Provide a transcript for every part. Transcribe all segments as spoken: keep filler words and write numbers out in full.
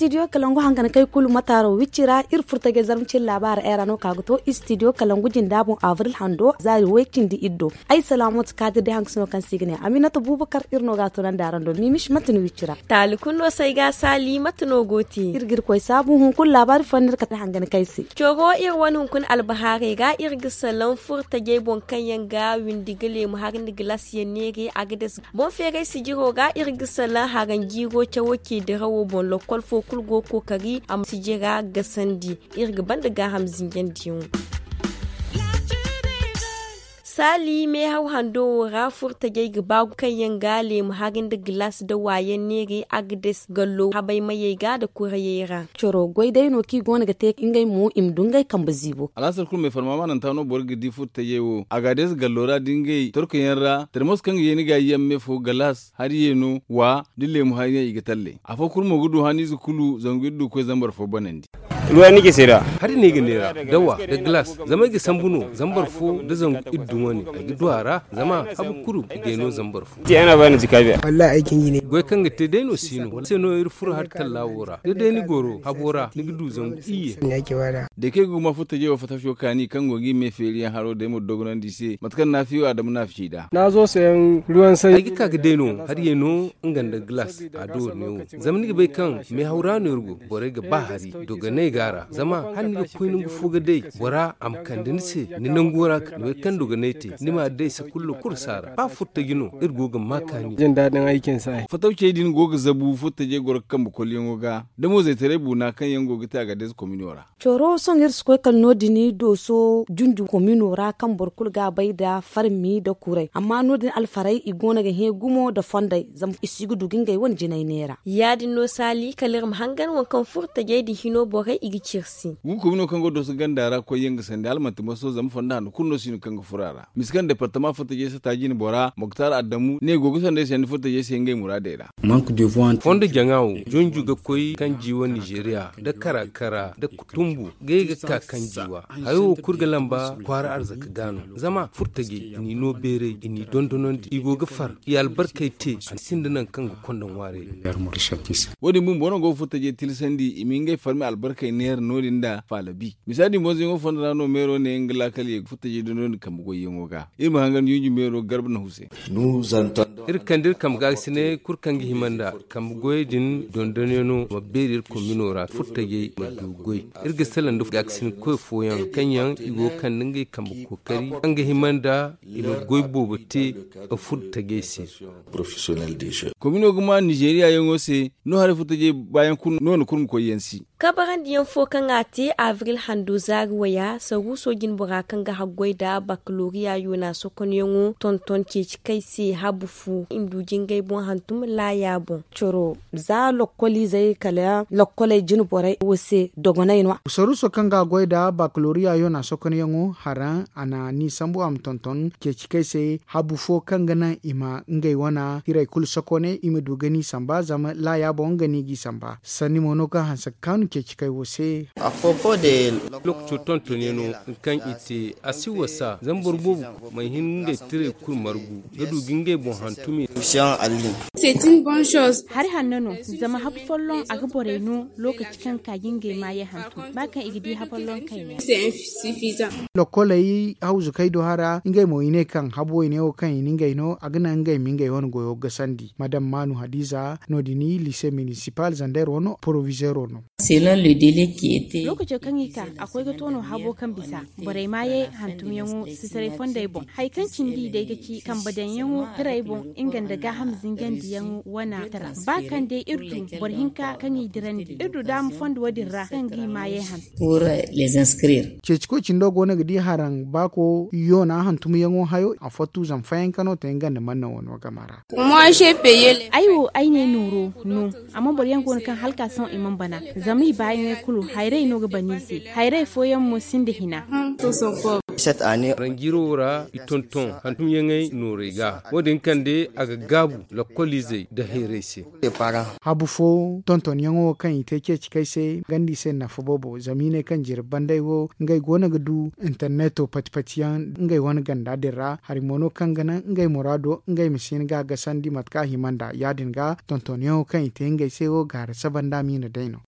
Istidiyo kalangu hangan kay kulu mataaro wicci ra iri furtajey zarma cine laabaara era no ka ga to istidiyo kalangu jinda boŋ abril hando zaari way cindi iri do. Ay salaamooti kaadir day hangasino kaŋ se i ga ne aminata buubakar iri no ga a tunandi araŋ do miimish mate no wicci ra. Taali kulu no se ay ga a saali mate no go te. Iri ga iri koy saabu hunkuna laabaari fooyaŋ no iri kate hangan kay se. Coro iri wane hunkuna albahaarey ga iri ga salaŋ furtajey boŋ kaŋ yaŋ ga windi ga leemu hari nda gilaas yaŋ neere a ga des. Boŋ feeray sijiro ga iri ga salaŋ haranjiiro cawo ce dirawo boŋ lokkol fo kulu go kookari a ma sijira gasandi. Iri ga banda gaaham zinjandiyaŋo. Saali meehaw hando wo ra furtajey ga baagu kaŋ yaŋ ga leemu hari nda gilaas da waayaŋ neere agdes gallo habay mayey ga nda kurayey ra. Coro goy day no kaŋ i go no ga te ngey mo i ma du ngey kambe ziibo. Alaasar kulu me farma maananta no boro ga di furtajey wo a ga a deesa gallo ra da ngey torkoyaŋ ra termos kaŋ ga ye ni ga yaŋ me fo galaas hari yeeno wa da leemu hari yaŋ i ga talle afo kulu mo ga du haniize kulu zangu iri du ga koy zambar fo banandi. Ruwa ni ga sira. Hari no ay ga neera dawa nda galaas zama ay ga sambu no zambar fo nda zangu iri du wane ay ga du a ra. Zama habu kulu i ga ay no zambar fo. Goy kaŋ ga te day no si no wala se no iri furo hari talla wo ra da day ni goro habo ra ni ga du zangu iyye. Da kay ga guma furtajey wo fattafiyo kaani kaŋ go ga i me feeriyaŋ haro day ma dogonandi i se mate kaŋ naafiyo a dama naafi ci nd'a. Ay ga ka ga day no hari yeeno nga nda galaas a do ne wo. Zama ni ga bay kaŋ meehaw ra no iri go borey ga ba hari dogonay ga a ra zama hala ni ga koy nangu fo ga day bora a ma kande ni se ni nango ra ka ni bay kaŋ dogonay te ni ma day se kulu kulu si a ra ba furtaji no iri go ga ma kaani. Fatawcey din go ga zabu furtajey goro ga kambe kolyaŋo ga da mo zaytaray buuna kaŋ yaŋ go ga te a ga day se komino ra. Coro sohõ iri si koy kala no- din dooso junju komino ra kaŋ boro kulu ga a bay nda farmi nda kuray amma no- din alfarey i go no ga hẽ gumo nda fondey zama i si ga du ga ngey wane jinay neera. Ya- din no saali kala iri ma hangan waŋ kaŋ furo tajey din hino borey i ga ciri se. Gu komino kaŋ go dooso ganda ra koyyaŋ ga sandi hala manti maso zama fondo hanno kulu no si no kaŋ ga furo a ra misi kaŋ departama furo tajey sata jine bora moktar adamu ne go ga sanda ay sandi furo tajey se ngey muraadey ra. Fondo jaŋa wo junju ga koy kanji wo nizeeriya nda kara kara nda kutumbu ngey ga ka kanji wa. Hayo wo kulu ga lamba kwaara arzaka ga no zama furtajey i n'i no beeray i n'i dondonandi i go ga far i albarkey te a sinda nangu kaŋ ga konda ŋwaaray. Wo- din bumbo no go ga furtajey tilasandi i ma ngey farmi albarkey neera no- din nda faalabi misa din bonzoyaŋo fondo ra no meero ne nga laakal ye ga furtajey dondonandi kambe goyyaŋo ga. Iri ma hangan junju meero garba nahu se. Iri ga kande iri kambe gaakasinay kulu kaŋ ga hima nda kambe goyey din dondonyaŋo ma beeri iri komino ra furtajey ma du goy. Iri ga salaŋ nda gaakasinay koy fooyaŋ kaŋ yaŋ i go ga kande ngey kambe kookari kaŋ ga hima nda i ma goy boobo te furtajey se. Komino ga ma nizeeriya yaŋo se no haray furtajey baayaŋ kulu no- no kulu ma koy yaŋ si. Kabarandiyaŋ fo kaŋ a te abril hando zaari waya saruuso jinbora kaŋ ga haggoy nda bakaloriya yoona sokonyaŋo tonton ceeci kay se habu fu i ma du jingay boŋ hantum laaya boŋ. Coro za lokkoliizey kala lokkoley jinborey wo se dogonay no. Saruuso kaŋ ga a goy nda bakaloriya yoona sokonyaŋo haraŋ a na ni sambu a ma tonton ceeci kay se habu fo kaŋ ga naŋ i ma ngey wane hiray kulu sokone i ma du ga ni samba zama laaya boŋ nga no i g'i samba. Sanni mo no kaŋ hanse ga kaanu ceeci kay wo se. Lookaco tontonyaŋo kaŋ i te a si wasa zama boro boobo kulu mana hin ga ngey tirey kulu margu ga du ga ngey boŋ hantum. Hari hanno no zama habu folloŋ a ga borey no lookaci kaŋ ga ka ga ngey maayey hantum ba kaŋ i ga di hafolloŋ kayna. Lokkoley hawzukey do hara ngey mo i ne kaŋ habu wayne wo kaŋ i na ngey no a ga naŋ ngey ma ngey wane goyo gasandi madam maanu hadiza no- din liise minisipal zander wano porovizeero no. Lookaco kaŋ i ka a koy ga to no habo kaŋ bisa borey maayey hantumyaŋo sitaray fondey boŋ hari kaŋ cindi day ga ci kambe daŋyaŋo hirey boŋ nga nda gaaham zingandiyaŋo wana tara ba kaŋ day iri du boro hinka kaŋ i dirandi iri du daama fondo wo- din ra kaŋ ga i maayey hantum. Ceeci koy cindo go no ga di haraŋ baako yoona hantumyaŋo hayo a fottu zama fayanka no te nga nda manna wano game ra. Ay wo ay ne nooro no amma boro yaŋ go no kaŋ hala ka sohõ i mana bana zama i baayaŋey kulu hayrey no ga bana i se. Hayrey fooyaŋ mo sinda hina. Ranjiiro wo ra i tonton hantumyaŋey noorey ga. Wo- din kande a ga gaabu lakkoliizey nda hayrey se. Habu fo tontonyaŋo kaŋ i te ceeci kay se ganda i se nafa boobo zama i ne kaŋ jirbi banday wo ngey go no ga du interneto pati-pati yaŋ ngey wane ganda din ra hari mo no kaŋ ga naŋ ngey muraado ngey ma si hin ga a gasandi mate kaŋ a hima nd'a ya- din ga tontonyaŋo kaŋ i te ngey se wo gaara saba nda a miina day no.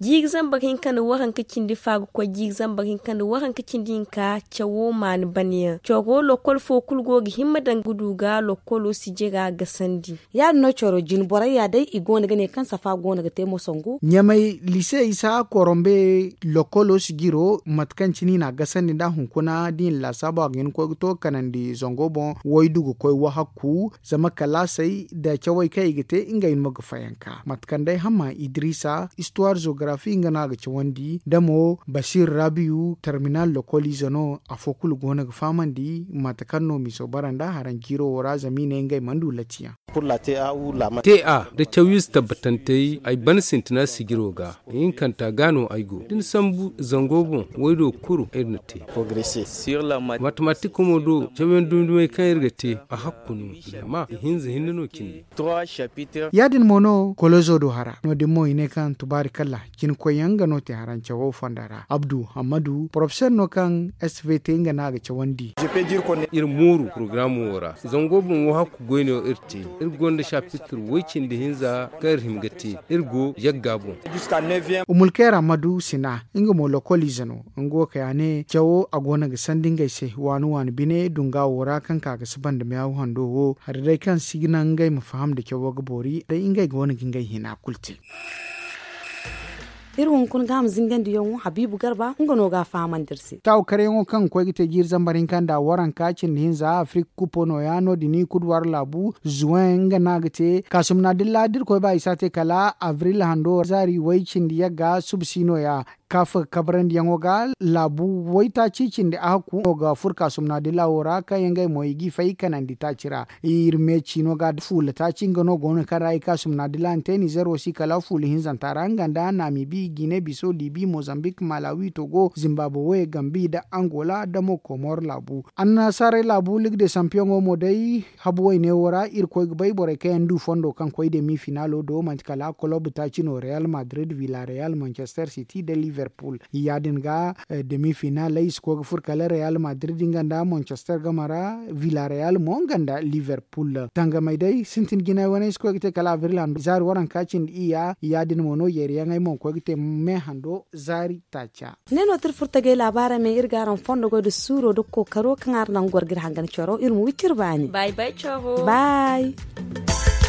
Jiiri zambar hinka nda waranka cindi fa ga koy jiiri zambar hinka nda waranka cindi hinka cawo maani banayaŋ coro lokol fo kulu go ga himma daŋ ga du ga lokolo sijira gasandi. Ya- din no coro jine borey ya day i go no ga ne kaŋ safa go no ga te mo sangu. Ɲamay lise isa korombe lokolo sijiro mate kaŋ cine i n'a gasandi nd'a hunkuna da i na laasaabu a ga hin ga koy ga to ga kanandi zango boŋ waydu ga koy wahakku zama kalaasey nda cawey kaŋ i ga te ngey no ga fayanka mate kaŋ day hamma idrisa istuwar zogarafi nga no a ga cawandi nda mo basiir rabiyu terminal lokoliize no afo kulu go no ga fahamandi mate kaŋ no miso bara nda haranjiiro wo ra zama i ne ngey mana du latiyaŋ. Te a nda cawiize tabbatantey ay ban sintina sijiro ga. Ihinkanta ga no ay go da ni sambu zango boŋ waydo kuru iri na te. Matematik mo do cawiyaŋ dumi-dumey kaŋ iri ga te a hakku no. Zama ihinza hinne no cindi. Ya- din mo no kolozo do hara no- din mo i ne kaŋ tubaari kala cine koyyaŋ nga no te harancawo fonda ra abdu hammadu porofesor no kaŋ svt nga no a ga cawandi. Iri mooru porogaramo wo ra zango boŋ wo hakku goyne wo iri te. Iri gonda sapitir way- cindi hinza kaŋ iri hima ga te. Iri go yagga boŋ. Umulkeera madu sina nga mo lokoliize no nga wo kay a ne cawo a go no ga sandi ngey se waani waani bine dunga wo ra kaŋ ka ga si banda meyaw hando wo hari day kaŋ si ga naŋ ngey ma faham nda cawo ga boori day ngey go no ga ngey hina kulu te. Iri hunkuna ga a ma zingandiyaŋo habiibu garba nga no ga a fahamandi iri se. Taawu karyaŋo kaŋ ga koy ga te jiiri zambar hinka nda waranka cindi hinza afirik kupo nooya no- din i kudwar laabu zuwen nga no a ga te kaasumna dilla da iri koy ba i si a te kala abril hando zaari way- cindi yagga suba si nooya. Kaafa kabrandiyaŋo ga laabu waytaaci cindi a hakku no ga fur kaasumna dilla wo ra kaŋ yaŋ ngey mo i g'i fay kanandi taaci ra. Iri me ciino ga fuula taaci nga no go no kaŋ ra i kaasumna dilla na te nizer wo si kala fuula hinzanta ra nga nda naamibi gine biso libi mozambik malawi togo zimbaabwe gambi nda angola nda mo komor laabu. Annasaarey laabu ligue de sampiyoŋo mo day habu wayne wo ra iri koy ga bay borey kaŋ yaŋ du fondo kaŋ koy demi finaalo do manti kala kolob taaci no real madrid villa real manchester city nda liverpool. Ya- din ga demi finaaley si koy ga furo kala real madrid nga nda manchester game ra villa real mo nga nda liverpool tangamey day sintin jinay wane si koy ga te kala abril hando zaari waranka cindi iyya ya- din mo no yeeriyaŋey mo ga koy ga te me hando zaari taaca. Ne no tirfurtagey laabaarey me iri ga araŋ fondo goy nda suuro nda kookaro kaŋ araŋ naŋ goro ga iri hangan coro iri ma wi ciri baani. Bay.